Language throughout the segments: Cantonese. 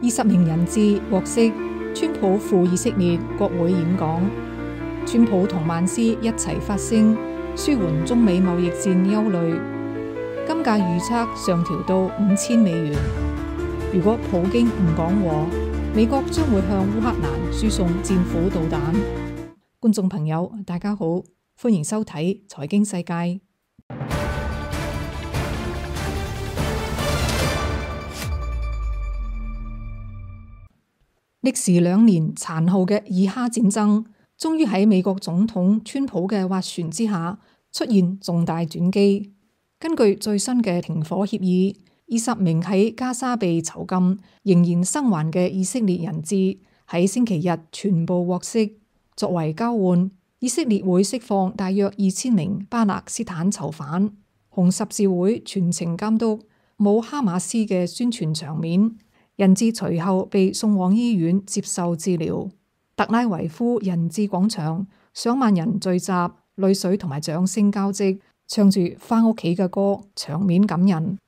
20名人質獲釋，川普赴以色列國會演講。川普同曼斯一齊發聲，舒緩中美貿易戰憂慮。金價預測上調到$5000。如果普京唔講和，美國將會向烏克蘭輸送戰斧導彈。觀眾朋友，大家好，歡迎收睇財經世界。歷時2年殘酷嘅以哈戰爭，終於喺美國總統川普嘅斡旋之下出現重大轉機。根據最新嘅停火協議，20名喺加沙被囚禁仍然生還嘅以色列人質喺星期日全部獲釋。作為交換，以色列會釋放大約2000名巴勒斯坦囚犯。紅十字會全程監督，冇哈馬斯嘅宣傳場面。人質隨後被送往醫院接受治療。特拉維夫人質廣場上萬人聚集，淚水同埋掌聲交織，唱住返屋企嘅歌，場面感人。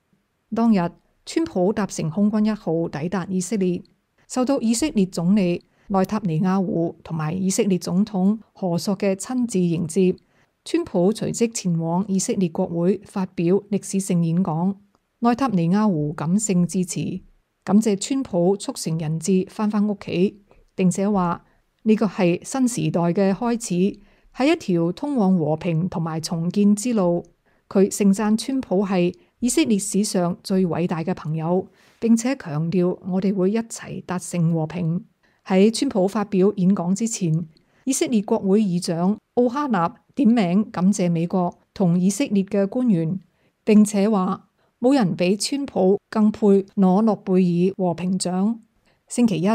當日，川普搭乘空軍1號抵達以色列，受到以色列總理內塔尼亞胡同埋以色列總統何索嘅親自迎接。川普隨即前往以色列國會發表歷史性演講。內塔尼亞胡感性致辭，感謝川普促成人質返屋企，並且話呢個係新時代嘅開始，係一條通往和平同埋重建之路。佢盛讚川普係以色列史上最偉大嘅朋友，並且強調我哋會一齊達成和平。喺川普發表演講之前，以色列國會議長奧哈納點名感謝美國同以色列嘅官員，並且話冇人比川普更配攞諾貝爾和平獎。星期一，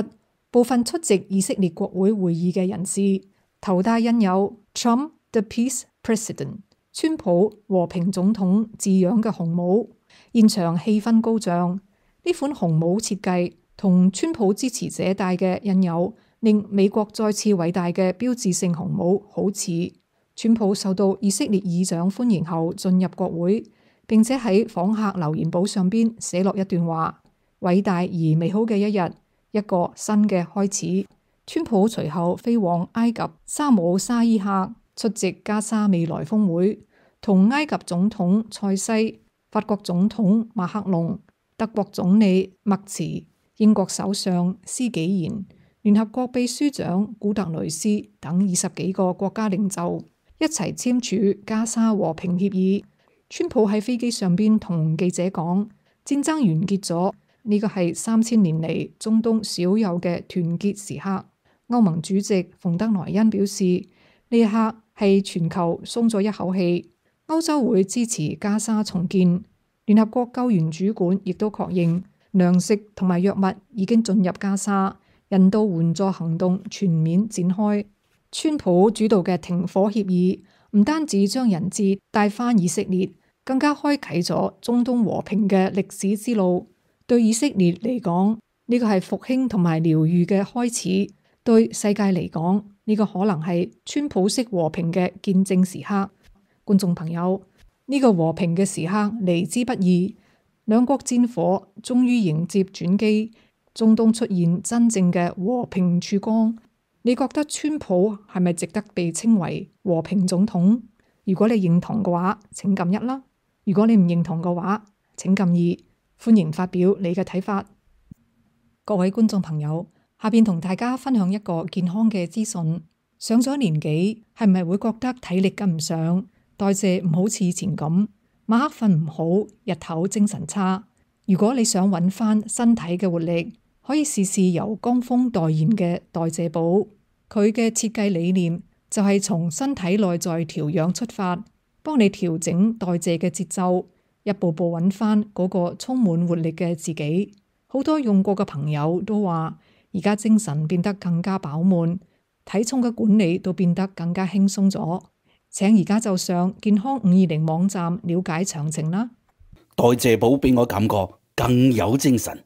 部分出席以色列國會會議嘅人士頭戴印有 Trump the Peace President 川普和平總統字樣嘅紅帽，現場氣氛高漲。呢款紅帽設計同川普支持者戴嘅印有令美國再次偉大嘅標誌性紅帽好似。川普受到以色列議長歡迎後進入國會，並且喺訪客留言簿上邊寫落一段話：偉大而美好嘅一日，一個新嘅開始。川普隨後飛往埃及沙姆沙伊克出席加沙未來峰會，同埃及總統塞西、法國總統馬克龍、德國總理默茨、英國首相施紀賢、聯合國秘書長古特雷斯等20幾個國家領袖一齊簽署加沙和平協議。川普喺飛機上邊同記者講：戰爭完結咗，呢個係3000年嚟中東少有嘅團結時刻。歐盟主席馮德萊恩表示，呢一刻係全球鬆咗一口氣。歐洲會支持加沙重建。聯合國救援主管亦都確認，糧食同埋藥物已經進入加沙，人道援助行動全面展開。川普主導嘅停火協議唔單止將人質帶返以色列，更加開啟咗中東和平嘅歷史之路。對以色列嚟講，呢個係復興同埋療癒嘅開始；對世界嚟講，呢個可能係川普式和平嘅見證時刻。觀眾朋友，呢個和平嘅時刻嚟之不易，兩國戰火終於迎接轉機，中東出現真正嘅和平曙光。你覺得川普係咪值得被稱為和平總統？如果你認同嘅話，請撳1啦；如果你唔認同嘅話，請撳2。歡迎發表你嘅睇法。各位觀眾朋友，下邊同大家分享一個健康嘅資訊。上咗年紀，係咪會覺得體力跟唔上，代謝唔好似以前咁，晚黑瞓唔好，日頭精神差？如果你想揾翻身體嘅活力，可以試試由江峰代言嘅代謝寶。佢嘅設計理念就係從身體內在調養出發，幫你調整代謝嘅節奏，一步步揾翻嗰個充滿活力嘅自己。好多用過嘅朋友都話，而家精神變得更加飽滿，體重嘅管理都變得更加輕鬆咗。請而家就上健康520網站了解詳情啦。代謝寶俾我感覺更有精神。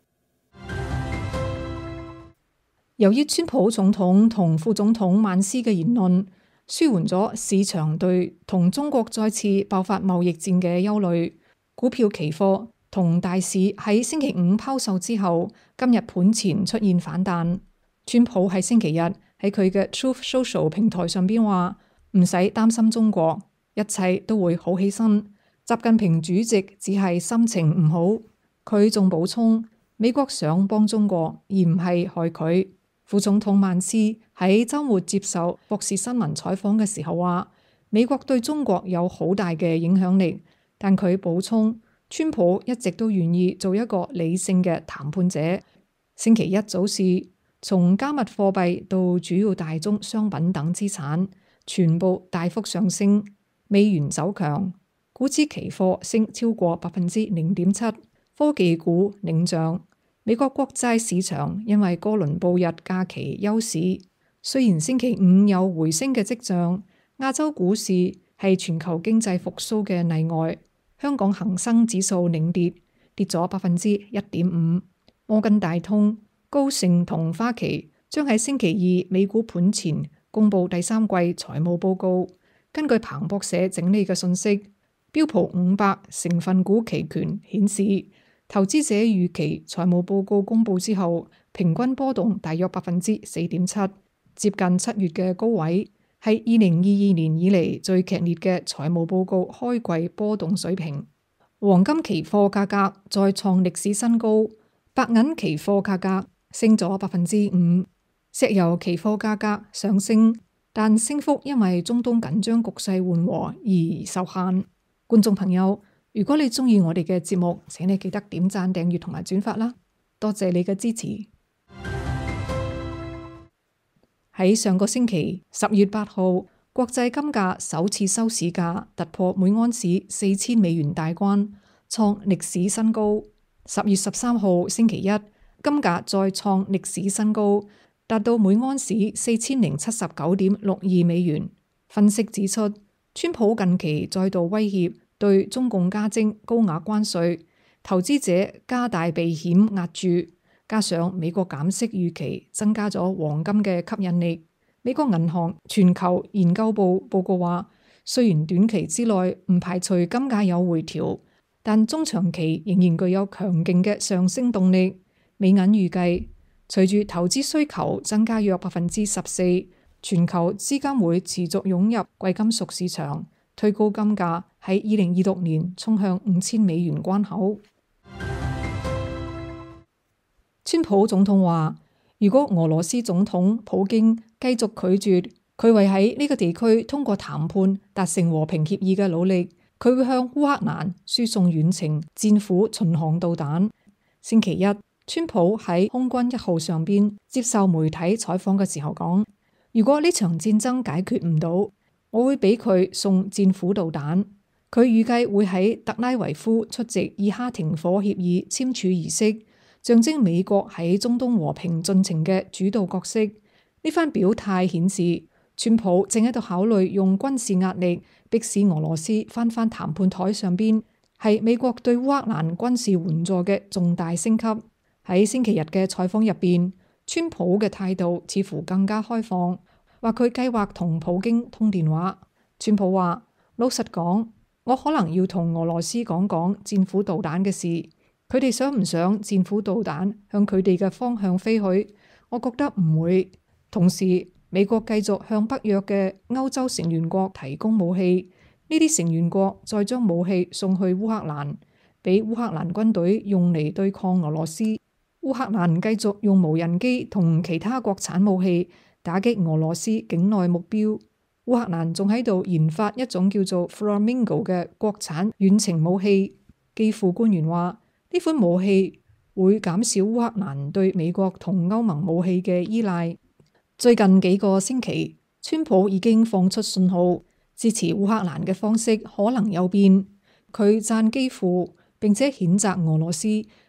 由於川普總統同副總統曼斯嘅言論，舒緩咗市場對同中國再次爆發貿易戰嘅憂慮，股票期貨同大市喺星期五拋售之後，今日盤前出現反彈。川普喺星期日喺佢嘅 Truth Social 平台上邊話：唔使擔心中國，一切都會好起身。習近平主席只係心情唔好。佢仲補充：美國想幫中國，而唔係害佢。副總統曼斯喺週末接受霍士新聞採訪嘅時候話：美國對中國有好大嘅影響力，但佢補充，川普一直都願意做一個理性嘅談判者。星期一早市，從加密貨幣到主要大宗商品等資產，全部大幅上升。美元走強，股指期貨升超過0.7%，科技股領漲。美國國債市場因為哥倫布日假期休市，雖然星期五有回升嘅跡象，亞洲股市係全球經濟復甦嘅例外。香港恒生指數領跌，跌咗1.5%。摩根大通、高盛同花旗將喺星期二美股盤前公佈第三季財務報告。根據彭博社整理嘅信息，標普500成分股期權顯示，投資者預期財務報告公佈之後，平均波動大約4.7%，接近7月嘅高位，係2022年以嚟最劇烈嘅財務報告開季波動水平。黃金期貨價格再創歷史新高，白銀期貨價格升咗5%，石油期貨價格上升，但升幅因為中東緊張局勢緩和而受限。觀眾朋友，如果你鍾意我哋嘅節目，請你記得點讚、訂閱同埋轉發啦，多謝你嘅支持。喺上個星期10月8號，國際金價首次收市價突破每盎司4000美元大關，創歷史新高。10月13號星期一，金價再創歷史新高，達到每盎司4079.62美元。分析指出，川普近期再度威脅對中共加徵高額關稅，投資者加大避險壓注，加上美國減息預期增加咗黃金嘅吸引力。美國銀行全球研究部報告話，雖然短期之內唔排除金價有回調，但中長期仍然具有強勁嘅上升動力。美銀預計，隨住投資需求增加約14%，全球資金會持續湧入貴金屬市場，推高金價喺2026年衝向5000美元關口。川普總統話，如果俄羅斯總統普京繼續拒絕佢為喺呢個地區通過談判達成和平協議嘅努力，佢會向烏克蘭輸送遠程戰斧巡航導彈。星期一，川普喺空軍1號上邊接受媒體採訪嘅時候講，如果呢場戰爭解決唔到，我會俾佢送戰斧導彈。佢預計會喺特拉維夫出席以哈停火協議簽署儀式，象徵美國喺中東和平進程嘅主導角色。呢番表態顯示，川普正喺度考慮用軍事壓力迫使俄羅斯翻返談判台上邊，係美國對烏克蘭軍事援助嘅重大升級。喺星期日嘅採訪入邊，川普嘅態度似乎更加開放，話佢計劃同普京通電話。川普話：老實講，我可能要同俄羅斯講講戰斧導彈嘅事，佢哋想唔想戰斧導彈向佢哋嘅方向飛去？我覺得唔會。同時，美國繼續向北約嘅歐洲成員國提供武器，呢啲成員國再將武器送去烏克蘭，俾烏克蘭軍隊用嚟對抗俄羅斯。烏克蘭繼續用無人機同其他國產武器打擊俄羅斯境內目標。烏克蘭仲喺度研發一種叫做 Flamingo 嘅國產遠程武器。基輔官員話，呢款武器會減少烏克蘭對美國同歐盟武器嘅依賴。最近幾個星期，川普已經放出信號，支持烏克蘭嘅方式可能有變。佢讚基輔，並且譴責俄羅斯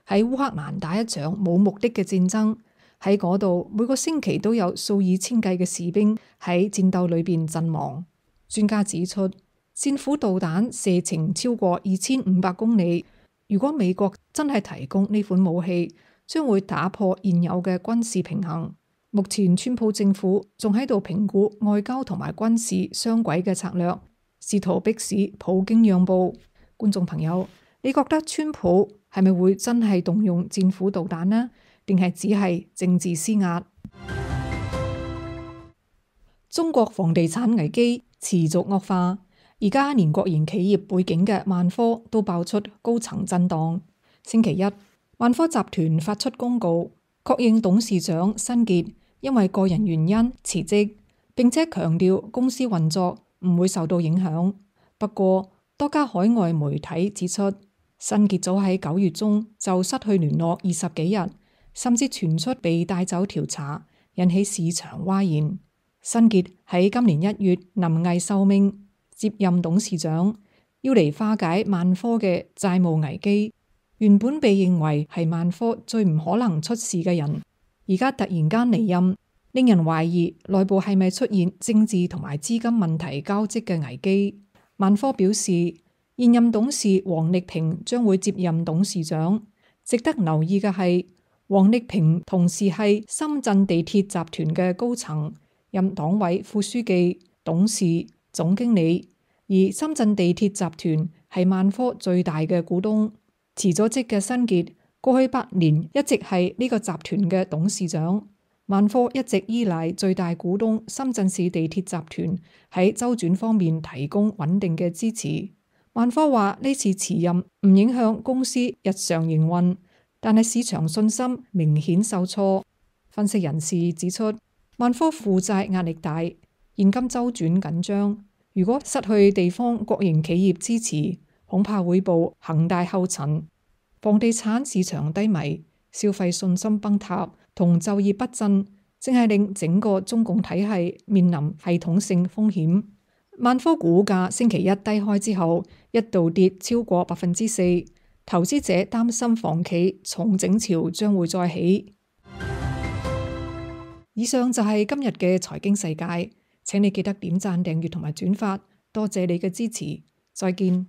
喺烏克蘭打一場冇目的嘅戰爭。喺嗰度每個星期都有數以千計嘅士兵喺戰鬥裏邊陣亡。專家指出，戰斧導彈射程超過2500公里。如果美國真係提供呢款武器，將會打破現有嘅軍事平衡。目前川普政府仲喺度評估外交同埋軍事雙軌嘅策略，試圖迫使普京讓步。觀眾朋友，你覺得川普係咪會真係動用戰斧導彈呢？定係只係政治施壓？中國房地產危機持續惡化，而家連國營企業背景嘅萬科都爆出高層震盪。星期一，萬科集團發出公告，確認董事長辛傑因為個人原因辭職，並且強調公司運作唔會受到影響。不過，多家海外媒體指出，辛傑早喺9月中就失去聯絡20幾日，甚至傳出被帶走調查，引起市場譁然。辛傑喺今年1月臨危受命接任董事長，要嚟化解萬科嘅債務危機。原本被認為係萬科最唔可能出事嘅人，而家突然間離任，令人懷疑內部係咪出現政治同埋資金問題交織嘅危機。萬科表示，現任董事王力平將會接任董事長。值得留意嘅係，王力平同時係深圳地鐵集團嘅高層，任黨委副書記、董事、總經理。而深圳地鐵集團係萬科最大嘅股東。辭咗職嘅辛傑過去8年一直係呢個集團嘅董事長。萬科一直依賴最大股東深圳市地鐵集團喺周轉方面提供穩定嘅支持。萬科話呢次辭任唔影響公司日常營運，但係市場信心明顯受挫。分析人士指出，萬科負債壓力大，現金周轉緊張，如果失去地方國營企業支持，恐怕會步恒大後塵。房地產市場低迷，消費信心崩塌同就業不振，正係令整個中共體系面臨系統性風險。萬科股價星期一低開之後，一度跌超過4%，投資者擔心房企重整潮將會再起。以上就係今日嘅財經世界，請你記得點讚、訂閱同埋轉發，多謝你嘅支持，再見。